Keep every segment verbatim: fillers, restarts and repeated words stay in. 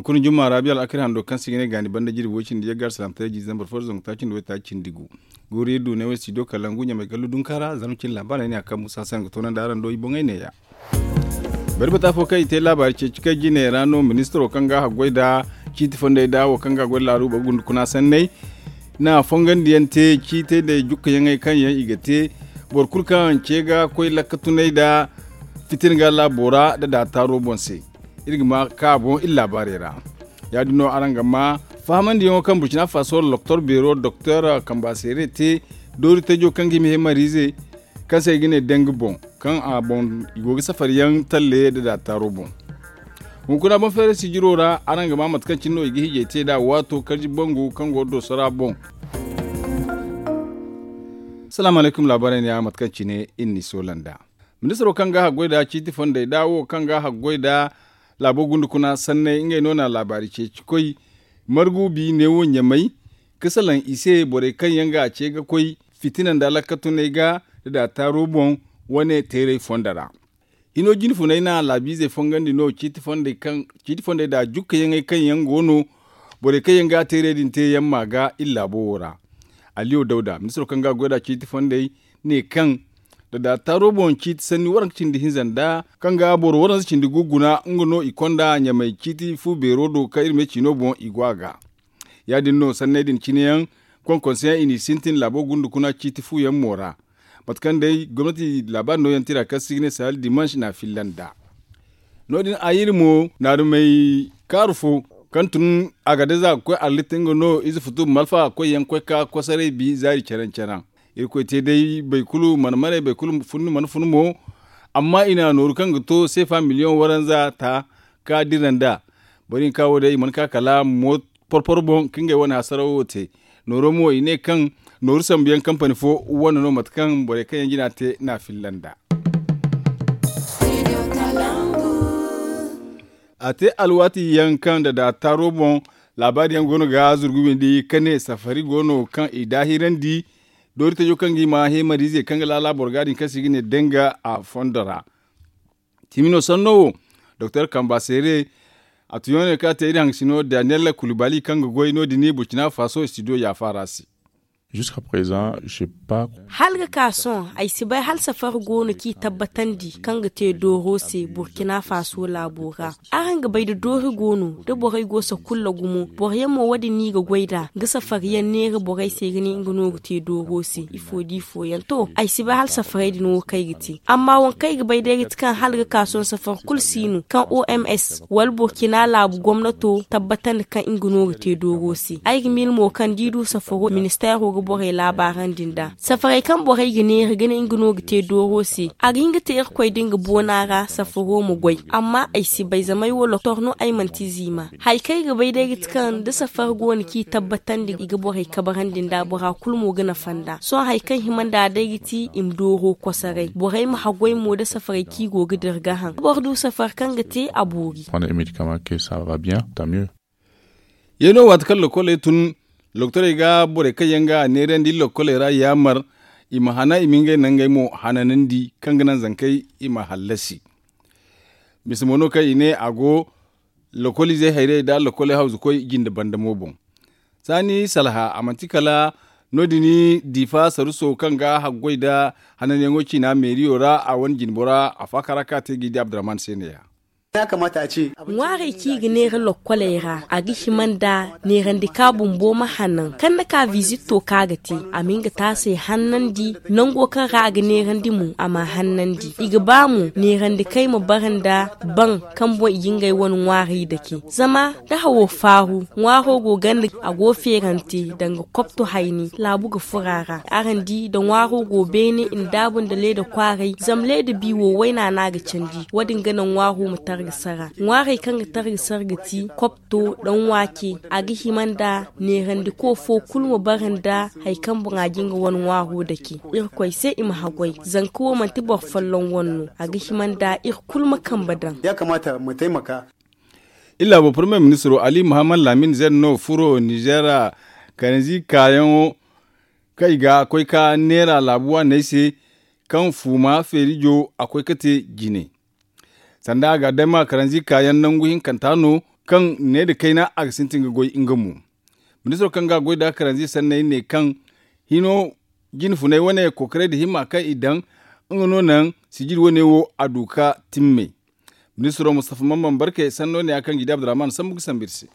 Kurun jumma ra biya al'akari hando kaŋ se i ga ne gaani banda jirbi way cindi yagga alsalaamataray jiize zambar fo da zangu taaci nda waytaaci cindi gu. Guuri iri du ne way studio kalangu ɲamay gallu dunka ra zarma cine laabaarey ne a kaŋ musa se araŋ ga toonandi araŋ do i boŋey neeya. Bari bata fo kaŋ i te laabaari ceeci kay jine ra no ministiro kaŋ ga a goy nda ciiti fondey nda wo kaŋ ga a goy nda laaru boro gundukuna sanney na fongandiyaŋ te ciitey nda jukkayaŋey kaŋ yaŋ i ga te boro kulu kaŋ ce ga koy lakkatunay nda fitina ga laabo ra nda daataaro boŋ se. Iri ga ma ka boŋ iri laabaarey ra. Ya- din no araŋ ga ma fahamandiyaŋo kaŋ burkina faso doktor beero doktor kamba seere te doori tajo kaŋ ga hima hemariize kaŋ se i ga ne danga boŋ kaŋ a boŋ i go ga safari yaŋ talle nda daataaro boŋ. Hunkuna boŋ feeray sijiro ra araŋ ga ma mate kaŋ cine no i ga hijay te nd'a waato karji bangu kaŋ go ga doosora boŋ. Salaamu alaykum laabaarey ne ya mate kaŋ cine iri n'i soola nd'a. Ministiro kaŋ ga a goy nd'a ciiti fondey nd'a wo kaŋ ga a goy nd'a laabo gundukuna sanney ngey no na laabaari ceeci koy margu bi neewo ɲamay ka salaŋ i se borey kaŋ yaŋ ga a ce ga koy fitina nda lakkatunay ga nda daataaro boŋ wane teeray fondo ra. Hino jinfunay na laabiizey fongandi no ciiti fondey nda jukkayaŋey kaŋ yaŋ go no borey kaŋ yaŋ ga a teeray din te yaŋ ma ga iri laabo wo ra. Aliyo dawda ministiro kaŋ ga a goy nd'a ciiti fondey ne kaŋ nda daataaro boŋ ciiti sanni waranka cindi hinza nda kaŋ ga boro waranza cindi gu guna nga no i konda ɲamay ciiti fu beero do kaŋ iri me ciino boŋ i go a ga. Ya- din no sanney din cine yaŋ konkonse yaŋ i n'i sintin laabo gundukuna ciiti fu yaŋ mo ra. Mate kaŋ day gomnati laabaari nooyaŋ tira kaŋ se i ga ne sahel dimanche na a filla nd'a. No- din a iri mo naarumey kaaru fo kaŋ tun a ga deza ga koy arlit nga no ize futu malfa koy yaŋ koy ka kosaray bi zaari caraŋ caraŋ. Irkoy te day boro kulu mana maray boro kulu funni mana fun mo. Amma i na nooru kaŋ ga to seefa miliyoŋ waranza ta ka dira nd'a. Boro hinka wo day i mana ka kala porporo boŋ ka ngey wane hasarawo te. Nooro mo i ne kaŋ nooru sambu yaŋ kampani fo wane no mate kaŋ borey kaŋ yaŋ jina te no a filla nd'a. A te alwaati yaŋ kaŋ nda daataaro boŋ laabaari yaŋ go no ga zurgu windi ka ne safari go no kaŋ i daahirandi doori tajo kaŋ ga i ma heemariizey kaŋ ga laala boro ga din kaŋ se i ga ne danga a fondo ra. Timino sanno wo doktor kamba seere a tuyaŋo ne kaŋ a te iri haŋgasino daniyel kulubali kaŋ ga goy no- din burkina faso studio yaafa ra se. Hala ga ka sohõ ay si bay hala safari go no kaŋ i tabbatandi kaŋ ga te dooro se burkina faso laabo ra. Araŋ ga bay da doori go no da borey go sakulla gumo boro yaŋ mo wo- din no i ga goy nd'a ga safari yaŋ neera borey se ga ne nga no ga te dooro se ifo da ifo yaŋ to ay si bay hala safarey din wo kaŋ ay ga te. Amma waŋ kaŋ ay ga bay day ga ti kaŋ hala ga ka sohõ safari kulu si no kaŋ oms wala burkina laabu gomnato tabbatandi kaŋ nga no ga te dooro se. Ay ga miila mo kaŋ da i du safaro ministeero ga borey laabaarandi nd'a safarey kaŋ borey ga neera ga ne nga no ga te dooro se a ga hin ga te irkoy da nga boona ra safaro ma goy. Amma ay si bay zama ay wo doktor no ay manti ziima. Hari kaŋ ay ga bay day ga ti kaŋ da safari go no kaŋ i tabbatandi i ga borey kabarandi nd'a bora kulu mo ga nafa nd'a sohõ hari kaŋ hima nd'a day ga ti i ma dooro kosoray borey ma haggoy mo da safarey kaŋ i go ga dira gaaham da boro du safari kaŋ ga te a boori. Ye no waati kaŋ lokoley tun doktorey ga borey kaŋ yaŋ ga a neerandi lokoley ra yaamar i ma hana i ma ngey nangey mo hananandi kaŋ ga naŋ zankey i ma hallasi. Mise mo no kaŋ i ne a go lokoliizey hayrey nda lokoley hawzukoy jinde banda mo boŋ. Saani salha a manti kala no- din diifa saruso kaŋ ga haggoy nda hananyaŋo ciina meeriyo ra a wane jinbora a faakara kaŋ a te ga i di abdurahman se neeya. Ŋwaarey kaŋ i ga neera lokkoley ra a ga hima nda neerandi ka bumbo ma hanan kaŋ ni ka vizitto kaŋ a ga te a ma nga taasey hannandi nango kaŋ ra a ga neerandi mo a m'a hannandi. I ga ba mo neerandi kay ma bara nda baŋ kaŋ boŋ i ga ngey wane ŋwaarey dake zama da hawo faaru ŋwaaro go ganda a go feerante danga kopto hayni laabu ga furo a ra. Araŋ di da ŋwaaro go beene i na daabu nda leeda kwaaray zama leeda bi wo wayna no a ga candi wo- din ga naŋ ŋwaaro ma targa sara. Ŋwaarey kaŋ ga targa sara ga ti kopto, daŋ waake. A ga hima nda neerandiko fo kulu ma bara nda hari kaŋ boŋ a ga nga wane ŋwaaro dake. Irkoy se i ma haggoy zanka wo manti boro folloŋ wane no a ga hima nda iri kulu ma kambe daŋ. Iri laabo pormiye ministiro ali muhammad lamin zen no furo nizeer karanzi kaayaŋo kaŋ i ga koy ka neera laabu waaney se kaŋ fuuma feerijo a koy ka te jine. Sanda a ga dama karanzi kaayaŋ nangu hinkanta no kaŋ ne nda kayna a ga sintin ga goy nga mo. Ministiro kaŋ ga a goy nda karanzi sanney ne kaŋ hino jine funay wane kookaray nda himma kaŋ i daŋ nga no naŋ sijiri wane wo a du ka timme. Ministiro mustafa mamman barkey sanno ne ya kaŋ gidi abdurrahman sambu ga sambu iri se.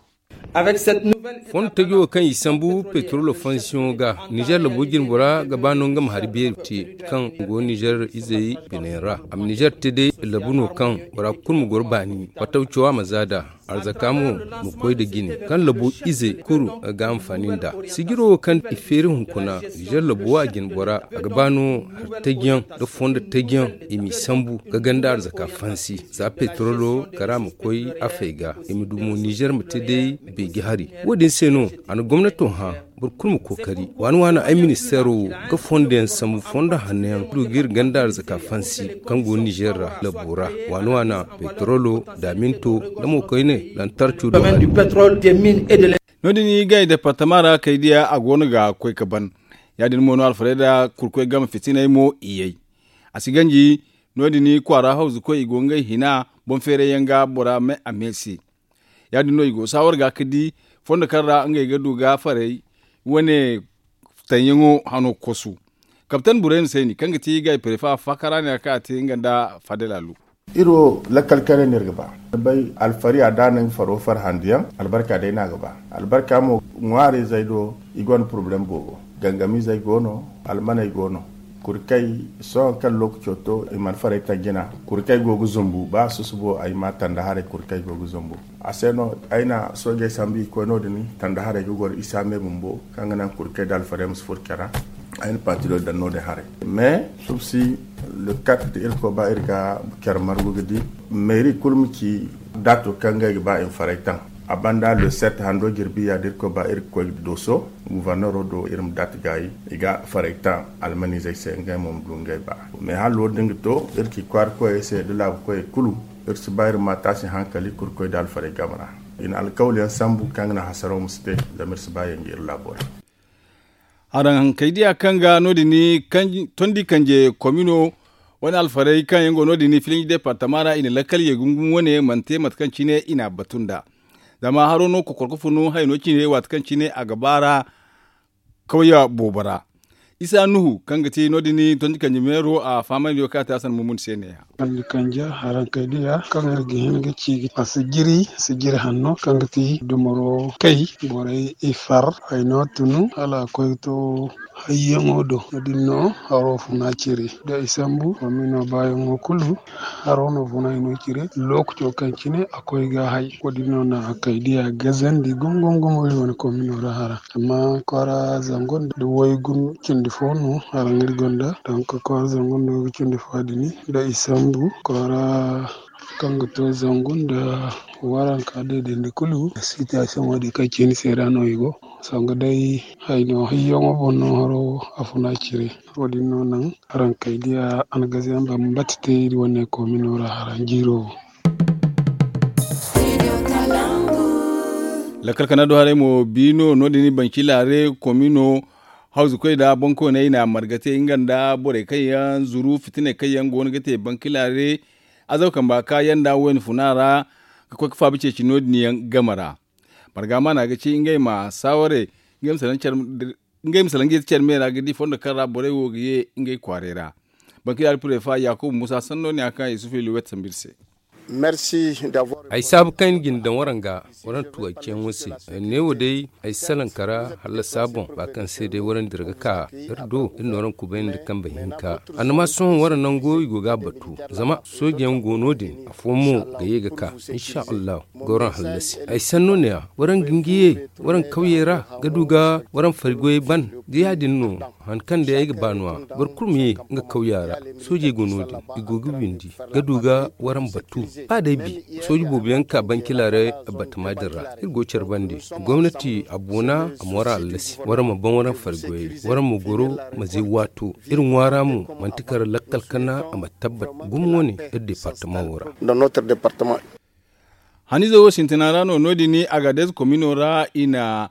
Fondo taji wo kaŋ i sambu petrolo fansiyoŋo ga nizer labo jine bora ga ba no nga ma hari beeri te kaŋ go nizer izey biney ra a ma nizer te day labu no kaŋ bora kulu ma goro baani fattaw cawa ma za da arzaka mo ma koy nda jine kaŋ labo izey kulu ga anfaani nd'a. Sijiro wo kaŋ i feeri hunkuna nizer labo a jine bora a ga ba no hari tajiyaŋ nda fondo tajiyaŋ i m'i sambu ga ganda arzaka fansi za petrolo kara ma koy afey ga i ma du mo nizer ma te day beeji hari. Wo- din se no a na gomnato hã boro kulu ma kookari waani waani ay ministeero wo ga fondo yaŋ sambu fondo hanno yaŋ du ga iri ganda arzaka fansi kaŋ go nizer ra labo ra waani waani petrolo daaminto nda mo koyne lantarco do. No- din i gay departama ra kay diya a go no ga koy ga ban. Ya- din mo no alfarey nda kurkoy game fitiney mo i yay. A si ganji no- din kwaara hawzukoy i go ngey hina boŋ feeray yaŋ ga bora me a me se. Ya- din no i go saawar ga ga di fondo kaŋ ra ngey ga du ga farey wane taŋyaŋo hano kosu. Kaptan burayma sayni kaŋ ga ti gay prefa faakara ne a kaŋ a te nga nda fadel alu. Iri wo lakkal kare no iri ga ba. Ni bay alfari a da no nga faro farhandiyaŋ albarka day no a ga ba. Albarka mo ŋwaarizey do i gonda porobalem boobo. Gangamizey go no, almaney go no. Kurkey sohõ kaŋ lookaco to i mana farey taŋ jina. Kurkey go ga zumbu ba susubo ay ma tanda haray kurkey go ga zumbu. A se no ay na soojey sambu i koy no- din tanda haray ga goro isa me bumbo kaŋ ga naŋ kurkey nda alfarey ma si furo care ra. Ay na pantiloy daŋ no- din haray. Mais subsi le quatre da irkoy ba iri ga care margu ga di meeri kulu ma ci daato kaŋ ngey ga ba i ma farey taŋ. A banda le sept hando jirbi ya da irkoy ba iri ga koy dooso guverneero do iri ma daati gaayi i ga farey taŋ almanizey se ngey mo ma du ngey ba. Mais hala wo- din ga to iri ci kwaara koyey se da laabu koyey kulu iri si ba iri ma taasi hankali kurkoy nda alfarey game ra. I na alkawal yaŋ sambu kaŋ ga naŋ hasaraw ma si te zama iri si ba yaŋ ga iri laabo ra. Haraŋ hankey diya kaŋ ga no- din tondi kanje komino wane alfarey kaŋ yaŋ go no- din filinji departama ra i na lakkal ye gungum wane mana te mate kaŋ cine i n'a batu nd'a. Zama haro no kokor ga funu hayno cine waati kaŋ cine a ga baara kawya boobo ra. Isa nuhu kaŋ ga ti no- din tondi kanje meero a fahamandi wo kaŋ a te a san mumuni se ne ya. Kanja haraŋ kay diya kaŋ iri ga hin ga ci a si jiri a si jiri hanno kaŋ ga ti dumaro kay borey i far hayno tunu hala a koy ga to hayyaŋo do wo- din no haro funa cire da i sambu komino baayaŋo kulu haro no funa hayno cire. Lookaco kaŋ cine a koy ga hay wo- din no na kay diya gazandi gumo gumo gumo iri wane komino ra hara amma kwaara zango nda waygu cindi fo no hara iri gonda donk kwaara zango nda waygu cindi fo din da i sambu kwaara kaŋ ga to zangu nda waranka daydayndi kulu sitiyasiyoŋo din kaŋ cine se ra no i go. Sanga day hayno hayyaŋo boŋ no haro a funa cire. Wo- din no naŋ haraŋ kay diya algaziyaŋ bambata te iri wane komino ra haraŋ jiiro wo. Lakkal kana do haray mo bi no no- din bancilare komino hawzukoy nda boŋkoyney i na marga te nga nda borey kaŋ yaŋ zuru fitiney kaŋ yaŋ go no ga te bankilare azaw kamba ka yanda wayna funa ra ga koy ga faabi ceeci no- din yaŋ game ra. Marga maana ga ci ngey ma saaware ngey ma salaŋ ga yeti care me ra ga di fondo kaŋ ra borey wo ga ye ngey kwaaray ra. Bankilare purefa yakubu musa sanno ne a kaŋ yusufu iluwet sambu iri se. Ay saabu kaŋ ay na jina daŋ waraŋ ga waraŋ tuwaaciyaŋo se. Neewo day ay salaŋ kara hallasa boŋ ba kaŋ se day waraŋ dira ga ka iri do iri na waraŋ kubayandi kambe hinka. Annama sohõ waraŋ nango i go ga a batu zama soojeyaŋ go no- din afo mo ga ye ga ka. Insha allahu ga waraŋ hallasi ay sanno ne-a waraŋ ga nga ye waraŋ kawyey ra ga du ga waraŋ fari goyey ban. Da ya- din no han kaŋ day ay ga ba no-a boro kulu ma ye nga kawya ra. Soojey go no- din i go ga windi ga du ga waraŋ batu. Ba day bi sooji boobo yaŋ ka bankila ra batama din ra iri go care bande. Gomnati a boona a ma waraŋ allasi waraŋ ma ban waraŋ fari goyey waraŋ ma goro ma zay waato. Iri ŋwaara mo manti kara lakkal kana a ma tabbat gumo wane iri departama wo ra. Hanize wo sintina ra no no- din agadez komino ra i na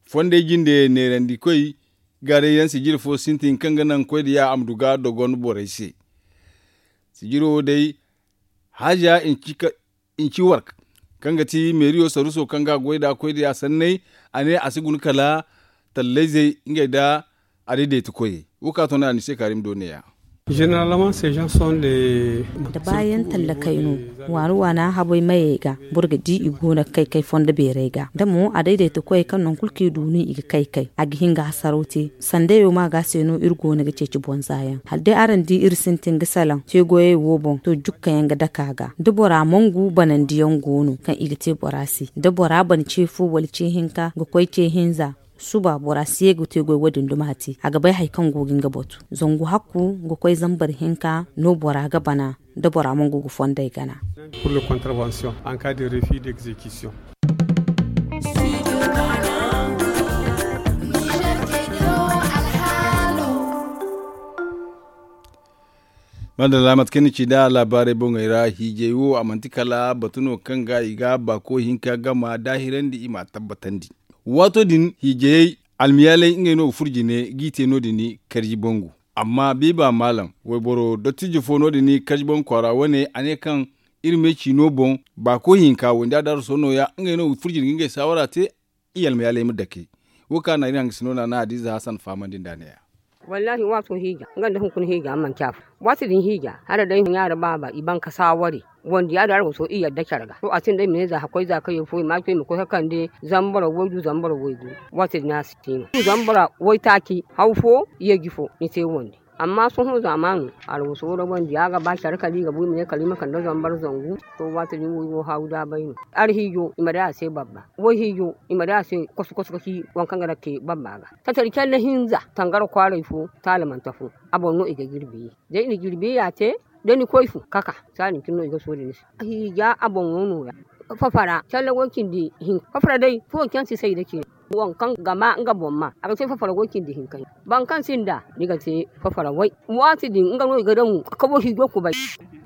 fondey jinde neerandikoy gaaray yaŋ sijiri fo sintin kaŋ ga naŋ koy da ya a ma du ga dogon borey se. Sijiro wo day haaja inci wark kaŋ ga ti meeriyo saruso kaŋ ga a goy nd'a koy da ya sanney. A ne a si guna kala tallayzey ngey nda a daydayti koyey. Wo ka to no a ni se kaari ma do neeya. Généralement ces gens sont des da baayaŋ tallakey no. Waani waana habay mayey ga boro ga di i go no ga kay kay fondo beerey ga da mo a daydayti koyey kaŋ nangu kulu kaŋ i du no i ga kay kay a ga hin ga hasaraw te. Sandayo ma ga se no iri go no ga ceeci bonza yaŋ hala day araŋ di iri sintin ga salaŋ te goyey wo boŋ to jukka yaŋ ga dake a ga da bora mangu banandi yaŋ go no kaŋ i ga te bora se da bora ban ce fo wala ce hinka ga koy ce hinza. Suba bora si ye ga te goy wo- din duma a te a ga bay hari kaŋ go ga nga batu zangu hakku ga koy zambar hinka no bora ga bana da bora mangu ga fondey gana. Pour le contravention en cas de refus d'exécution. Madalla mate kaŋ ni ci nd'a laabaarey boŋey ra hiijay wo a manti kala batu no kaŋ ga i ga baako hinka gama daahirandi i m'a tabbatandi. Waato din hiijayey almiyaaley ngey no ga furo jine g'i te no- din karji bangu. Amma biiba maalam wayboro dottijo fo no- din karji bangu kwaara wane a ne kaŋ iri me ciino boŋ baako hinka wandi a darasoo nooya ngey no ga furo jine ga ngey saawara te. I almayaaley ma dake wo kaŋ a na iri hangasino naana hadiza hasan fahamandi nd'a neeya. Wallaahi waato hiija nga nda hunkuna hiija a manci afo. Waati din hiija hala day ɲaara baaba i ban ka saawari wandi yaadin arago so i yadda care ga to a sinda i ma ne za hakkoy za kaŋ yaŋ fo i ma a ci i ma koy ka kande zama boro waygu zama boro waygu. Waati din a si ti no zama boro waytaaci haw fo yeeji fo ni te wandi. Amma sohõ zaamaano alwaso ra wandi ya ga ba care kala i ga bu i ma ne kala i ma kande zambar zangu. To waati din wo i go haawu daabay no. Arhiijo i ma day a se babba wayhiijo i ma day a se koso koso ga ci waŋ kaŋ ga daŋ ga te babba ga. Tatari calla hinza tangara kwaaray fo taalamante fo a boŋ no i ga jirbi ye. Da i na jirbi ya te da ni koy fu kaka. Saadin cine no i ga sooli ni se hiija a boŋo nooya. Fafara calla way cindi hinka fafara day fo kaŋ si say da cine. Waŋ kaŋ ga ma nga boŋ ma a ga te fafara way cindi hinka. Boro kaŋ sinda ni ga te fafara way waati din nga no i ga daŋ ka wayhiijo kubay.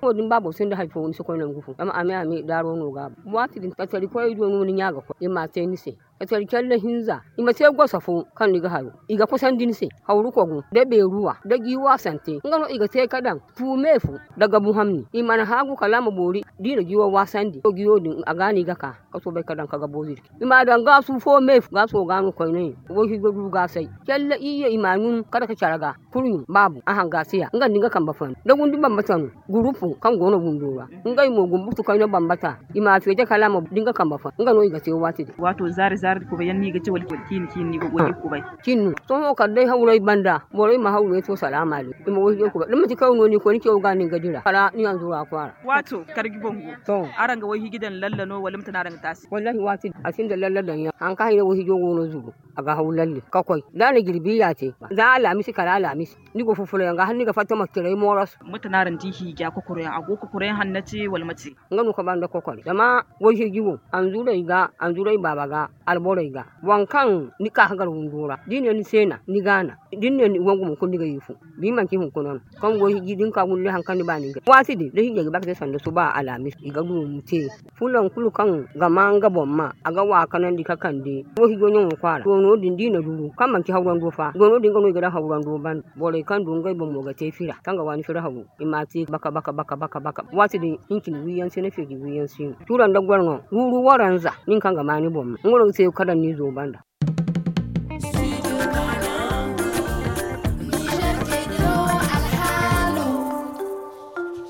Wo- din ba boro sinda hari fo ni si koy nangu fo zama a me a me daaro no ga a boŋ waati din tatari koyey do no ni ɲaa ga koy i m'a te ni se. Ka care care da hinza i ma te gosa fo kaŋ ni ga haru i ga kusandi ni se hawru kogu da beeruwa da jiiwa sante nga no i ga te ka daŋ. Fu me fu da gabu hamni i mana haagu kala a ma boori da i na jiiwa waasandi to jiiwo din a ga no i ga ka ka soobay ka daŋ ka gabo zirci i m'a daŋ gaasu fo me fu gaaso ga no koyne. Wayhiijo du gaasay care da iyye i m'a ɲun kala ka care ga. Kurɲum baabu a hangaasiya nga nda nga kambe fanda da gundi bambata no gurupu kaŋ go no windo ra. Ngey mo gumbutu kayna bambata i m'a feete kala a ma di nga kambe fo nga no i ga te waati din. Waato zaari zaari kubay yaŋ no i ga ci wala ciini ciini ni ga goy da kubay. Cin no sohõ kala day hawray banda borey ma hawray to salaama day i ma wayhiijo kubay da manti kaŋ no ni koy ni caw ga no ni ga dira kala ni hanzura kwaara. Waato karji bangu araŋ ga wayhiiji daŋ lalla no wala mate no araŋ ga taasi wallaahi waati din a sinda lalla daŋ yaŋ haŋ kaŋ hayna wayhiijo go no zuru. A ga haw lalle ka koy da a na jirbi ya te za alaamisi kala alaamisi. Ni go fufula yaŋ ga hala ni ga fatta ma ciray mooros. Mate no araŋ di hiija kokoro yaŋ a go kokoro yaŋ hanna te wala mate? Nga no ka ba nda kokoro zama wayhiiji wo anzuray ga anzuray baaba ga alborey ga waŋ kaŋ ni ka ka gar windo ra da i ne ni se na ni ga na da ni ne ni wangu mo kulu ni ga ye fu. Bi manti hunkuna no kaŋ go hiji din ka gulle haŋ kaŋ ni ba nin ga waati din da hijey ga ba ka te sanda suba alaamis i ga du ni te. Fulaŋ kulu kaŋ ga ma nga boŋ ma a ga wa kanandi ka kande wo hijo ɲaŋo kwaara doono din da i na duru kaŋ manti hawrando fa doono din ga no i ga daŋ hawrando banda. Borey kaŋ du ngey boŋ mo ga te fira kaŋ ga waani fira hawru i ma te baka baka baka baka baka waati din hincin wiyaŋ se na feeji wiyaŋ se no tura nda gwarŋo wuru waranza nin kaŋ ga ma ni boŋ ma nga no ga te ka daŋ ni zo banda.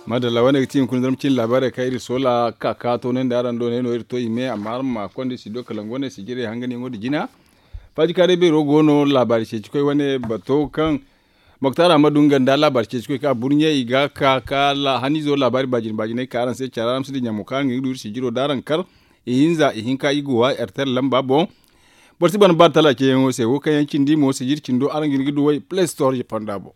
Madalla wane ga ti hunkuna zarma cine laabaarey kaŋ iri soola ka ka toonandi araŋ do ne no iri to i me amma araŋ ma konda studio kalangu wane sijirey hanganyaŋo nda jina. Faajikaaray beero go no laabaari ceeci koy wane bato kaŋ moktar ahmadu nga nda laabaari ceeci koy ka burɲe i ga ka ka hanizo laabaari baajine baajiney ka araŋ se care araŋ ma si dinya mo kaŋ araŋ ga hin ga du iri sijiro da araŋ kar. Ihinza ihinka i go wa airtel lamba boŋ. Boro si ban ba tala ceeyaŋo se wo kaŋ yaŋ cindi mo sijir cindo araŋ ga hin ga duwey play store fonda boŋ.